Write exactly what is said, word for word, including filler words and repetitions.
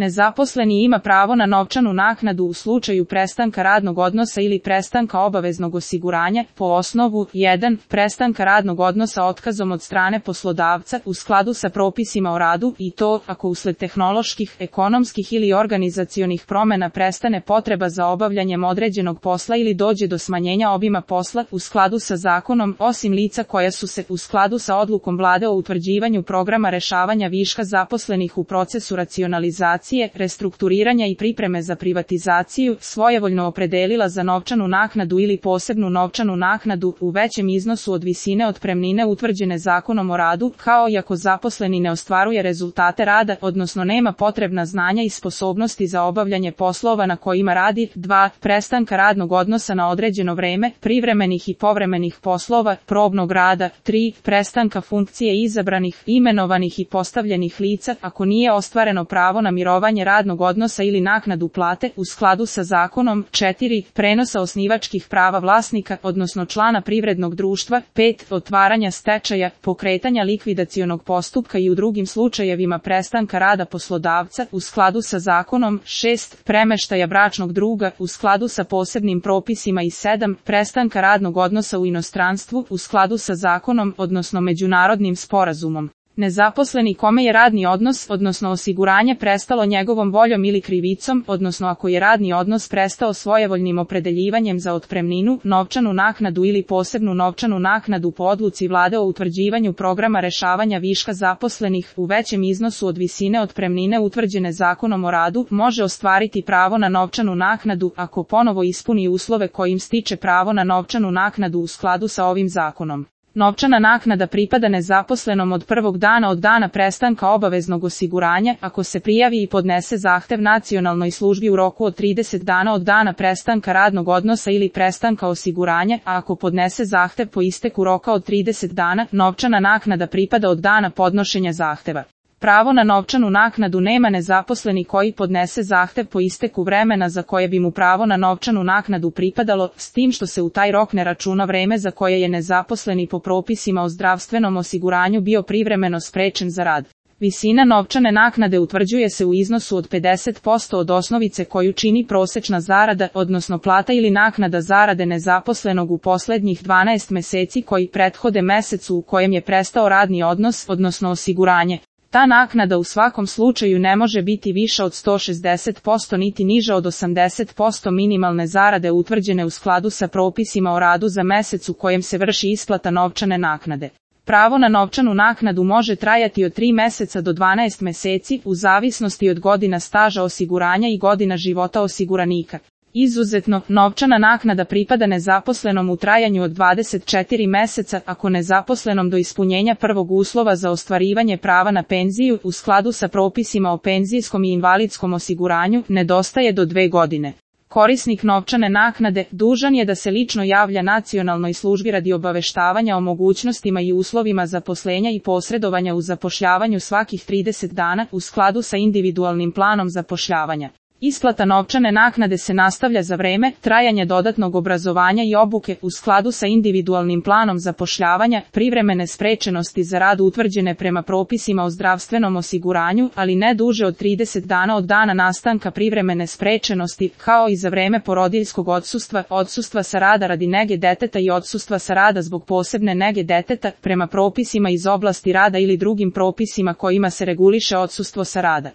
Nezaposleni ima pravo na novčanu naknadu u slučaju prestanka radnog odnosa ili prestanka obaveznog osiguranja po osnovu jedan. Prestanka radnog odnosa otkazom od strane poslodavca u skladu sa propisima o radu i to ako usled tehnoloških, ekonomskih ili organizacionih promjena prestane potreba za obavljanjem određenog posla ili dođe do smanjenja obima posla u skladu sa zakonom, osim lica koja su se u skladu sa odlukom Vlade o utvrđivanju programa rešavanja viška zaposlenih u procesu racionalizacije, restrukturiranja i pripreme za privatizaciju, svojevoljno opredelila za novčanu naknadu ili posebnu novčanu naknadu u većem iznosu od visine otpremnine utvrđene Zakonom o radu, kao i ako zaposleni ne ostvaruje rezultate rada, odnosno nema potrebna znanja i sposobnosti za obavljanje poslova na kojima radi. dva. Prestanka radnog odnosa na određeno vreme, privremenih i povremenih poslova, probnog rada. tri. Prestanka funkcije izabranih, imenovanih i postavljenih lica, ako nije ostvareno pravo na mirovanje radnog odnosa ili naknadu plate u skladu sa zakonom. četiri. Prenosa osnivačkih prava vlasnika, odnosno člana privrednog društva. pet. Otvaranja stečaja, pokretanja likvidacionog postupka i u drugim slučajevima prestanka rada poslodavca u skladu sa zakonom. šest. Premeštaja bračnog druga u skladu sa posebnim propisima i sedam. Prestanka radnog odnosa u inostranstvu u skladu sa zakonom, odnosno međunarodnim sporazumom. Nezaposleni kome je radni odnos, odnosno osiguranje prestalo njegovom voljom ili krivicom, odnosno ako je radni odnos prestao svojevoljnim opredeljivanjem za otpremninu, novčanu naknadu ili posebnu novčanu naknadu po odluci Vlade o utvrđivanju programa rešavanja viška zaposlenih u većem iznosu od visine otpremnine utvrđene Zakonom o radu, može ostvariti pravo na novčanu naknadu ako ponovo ispuni uslove kojim stiče pravo na novčanu naknadu u skladu sa ovim zakonom. Novčana naknada pripada nezaposlenom od prvog dana od dana prestanka obaveznog osiguranja, ako se prijavi i podnese zahtev nacionalnoj službi u roku od trideset dana od dana prestanka radnog odnosa ili prestanka osiguranja, a ako podnese zahtev po isteku roka od trideset dana, novčana naknada pripada od dana podnošenja zahteva. Pravo na novčanu naknadu nema nezaposleni koji podnese zahtev po isteku vremena za koje bi mu pravo na novčanu naknadu pripadalo, s tim što se u taj rok ne računa vreme za koje je nezaposleni po propisima o zdravstvenom osiguranju bio privremeno sprečen za rad. Visina novčane naknade utvrđuje se u iznosu od pedeset posto od osnovice koju čini prosečna zarada, odnosno plata ili naknada zarade nezaposlenog u posljednjih dvanaest meseci koji prethode mesecu u kojem je prestao radni odnos, odnosno osiguranje. Ta naknada u svakom slučaju ne može biti viša od sto šezdeset posto niti niža od osamdeset posto minimalne zarade utvrđene u skladu sa propisima o radu za mesec u kojem se vrši isplata novčane naknade. Pravo na novčanu naknadu može trajati od tri meseca do dvanaest meseci u zavisnosti od godina staža osiguranja i godina života osiguranika. Izuzetno, novčana naknada pripada nezaposlenom u trajanju od dvadeset četiri meseca ako nezaposlenom do ispunjenja prvog uslova za ostvarivanje prava na penziju u skladu sa propisima o penzijskom i invalidskom osiguranju nedostaje do dve godine. Korisnik novčane naknade dužan je da se lično javlja nacionalnoj službi radi obaveštavanja o mogućnostima i uslovima zaposlenja i posredovanja u zapošljavanju svakih trideset dana u skladu sa individualnim planom zapošljavanja. Isplata novčane naknade se nastavlja za vreme trajanja dodatnog obrazovanja i obuke u skladu sa individualnim planom zapošljavanja, privremene sprečenosti za rad utvrđene prema propisima o zdravstvenom osiguranju, ali ne duže od trideset dana od dana nastanka privremene sprečenosti, kao i za vreme porodiljskog odsustva, odsustva sa rada radi nege deteta i odsustva sa rada zbog posebne nege deteta, prema propisima iz oblasti rada ili drugim propisima kojima se reguliše odsustvo sa rada.